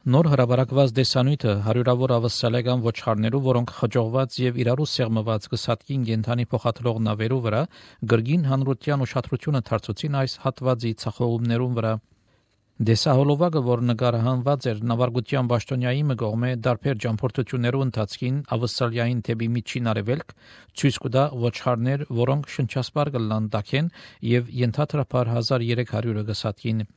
Նոր հրաբարակված դեսանյութը հարյուրավոր ավստրալիական ոչխարներու, որոնք խճողված եւ իրարու սեղմված կսատկին կենդանի փոխադրող նավերու վրա գրգին հանրության ուշադրությունը դարձուցին այս հատվածի ցախողումներուն վրա։ Դեսահոլովակը, որ նկարահանված էր նավարկության պաշտոնյայի մգողմե դարբեր ճամփորդություններու ընթացքին Ավստրալիային թեպի միջին արևելք, ցույց կտա ոչխարներ, որոնք շնչասպար կլան տաքեն եւ ենթադրաբար 1300-ը կսատկին։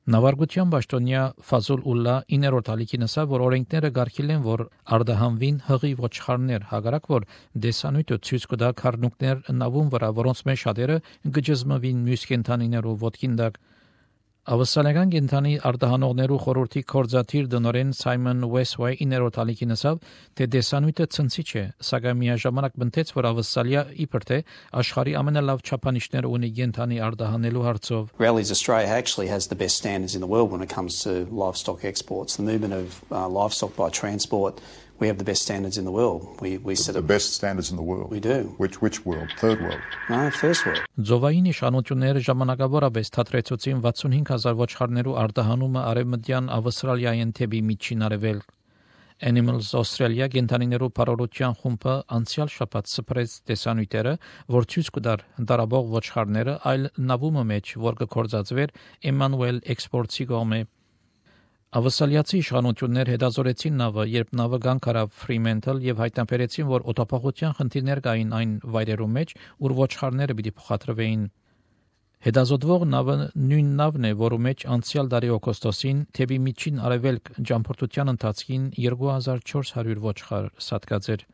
Նավարկության պաշտոնյա Ֆազուլ Ուլլա 9-րդ ալիքին ասավ, որ օրենքները գարքիլ են, որ արդահանվին հղի ոչխարներ, հակառակ որ դեսանյութը ցույց կտա քառնուկներ նավուն վրա, որոնց մեջ շատերը գջզմվին մյուս կենդանիներու ոտքին տակ։ Ավստրալիական կենդանի արդահանողներու խորհրդի կորզաթիր դնորեն Սայմոն Վեսվեյ 9-րդ ալիքին ասավ, թե դեսանյութը ցնցիչ է, սակայն միաժամանակ բնտեց, որ Ավստրալիա իբր թե աշխարհի ամենալավ չափանիշները ունի կենդանի արդահանելու հարցով։ Rallies Australia actually has the best standards in the world when it comes to livestock exports. The movement of livestock by transport, we have the best standards in the world. We set the best standards in the world. We do. Which world? Third world? No, first world. Ձովային իշխանությունները ժամանակավորապես թատրեցուցին 65000 ոչխարներու արդահանումը արևմտյան Ավստրալիային թեպի միջին արևելք։ Animals Australia կենդանիներու բարօրության խումբը անցյալ շաբաթ սփռեց տեսանյութերը, որ ցույց կտար դարաբող ոչխարները այլ նավումը մեջ, որ կկործածվեր Emmanuel Exports-ի կողմէ։ Ավստրալիացի իշխանություններ հետազորեցին նավը, երբ նավը գանք արավ Fremantle եւ հայտնաբերեցին, որ օտապահության խնդիրներ կային այն վայրերում մեջ, ուր ոչխարները պիտի փոխադրվեին։ Հետազոտվող նավը նույն նավն է, որու մեջ անցյալ տարի օգոստոսին թեպի միջին արևելք ճամփորդության ընթացքին 2400 ոչխար սատկած էր։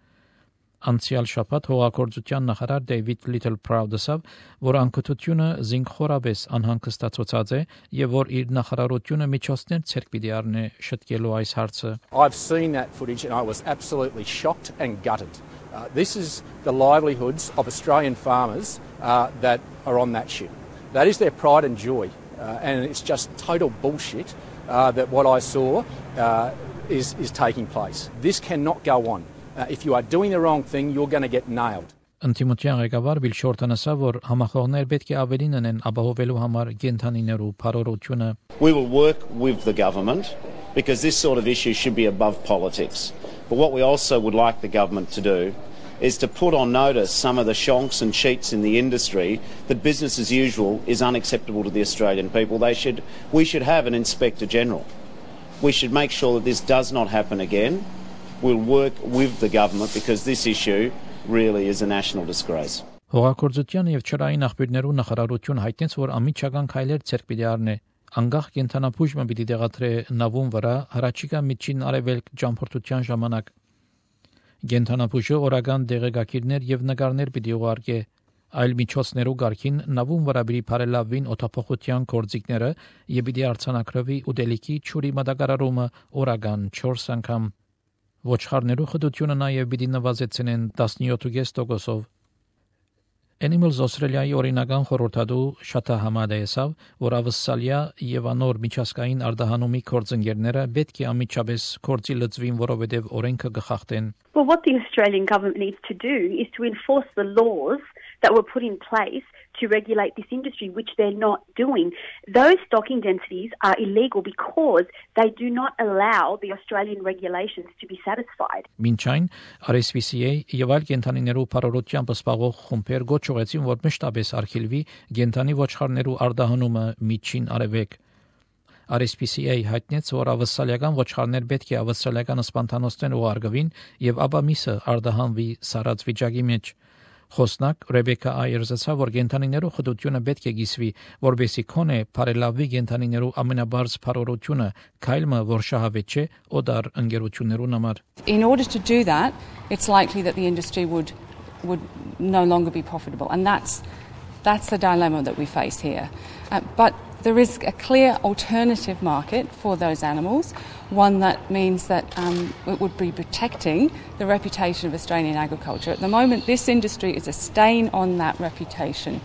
Անցյալ շաբաթ հողագործության նախարար Դեյվիդ Լիթլփրաուդ ասավ, որ անկթությունը զինքխորաբես անհանգստացած է եւ որ իր նախարարությունը միջոցներ ցերկ պիտի առնի շտկելու այս հարցը։ I've seen that footage and I was absolutely shocked and gutted. This is the livelihoods of Australian farmers that are on that ship. That is their pride and joy, and it's just total bullshit that what I saw is taking place. This cannot go on. If you are doing the wrong thing, you're going to get nailed. Ընտիմության ղեկավար Բիլ Շորտոնը ասավ, որ համախոհներ պետք է ավելին ունեն ապահովելու համար կենդանիներու բարօրությունը։ We will work with the government because this sort of issue should be above politics. But what we also would like the government to do is to put on notice some of the shonks and cheats in the industry that business as usual is unacceptable to the Australian people. We should have an Inspector General. We should make sure that this does not happen again. We'll work with the government because this issue really is a national disgrace. Հողագործության եւ չրային աղբյուրներու նախարարություն հայտնեց, որ ամիջական քայլեր ցերկ պիտի առնի։ Անգախ կենթանապուժը պիտի դեղատրե նավուն վրա հրաչիկա միջին արևելք ճամփորդության ժամանակ։ Կենթանապուժը օրական դեղեկագիրներ եւ նկարներ պիտի ուղարկե։ Այլ միջոցներու գարքին նավուն վրա պիտի բարելավվին օտապողության կորձիկները եւ պիտի արձանագրվի ուտելիքի ճուրի մատակարարումը օրական 4 անգամ։ Ոչխարներու խտությունը նաև պիտի նվազեցնեն 17.5%-ով։ Animals Australia-ի օրինական խորհրդատու Շաթա Համադը ասավ, որ Ավստրալիա եւ անոր միջազգային արդահանումի կորձընկերները պետք է ամիջապես կորձի լծվին, որովհետեւ օրենքը կխախտեն։ Well, what the Australian government needs to do is to enforce the laws that were put in place to regulate this industry, which they're not doing. Those stocking densities are illegal because they do not allow the Australian regulations to be satisfied. Մինչայն RSPCA եւ այլ կենթանիներու բարօրությամբ սպասող խումբեր գոչ ուղեցին, որ մշտապես արգելվի կենթանի ոչխարներու արդահանումը միջին արևելք։ RSPCA հայտնեց, որ ավստրալիական ոչխարներ պետք է ավստրալիական սպանթանոցներ ուղարկվին եւ ապա միսը արդահանվի սարած վիճակի մեջ։ Խոսնակ Ռեբեկա Այերս ասավ, որ կենթանիներու խտությունը պետք է գիսվի, որբեսի քոնե բարելավի կենթանիներու ամենաբարձ բարօրությունը, քայլը, որ շահավետ չէ օդար ընկերություններուն համար։ In order to do that, it's likely that the industry would no longer be profitable, and that's the dilemma that we face here. But there is a clear alternative market for those animals, one that means that it would be protecting the reputation of Australian agriculture. At the moment, this industry is a stain on that reputation.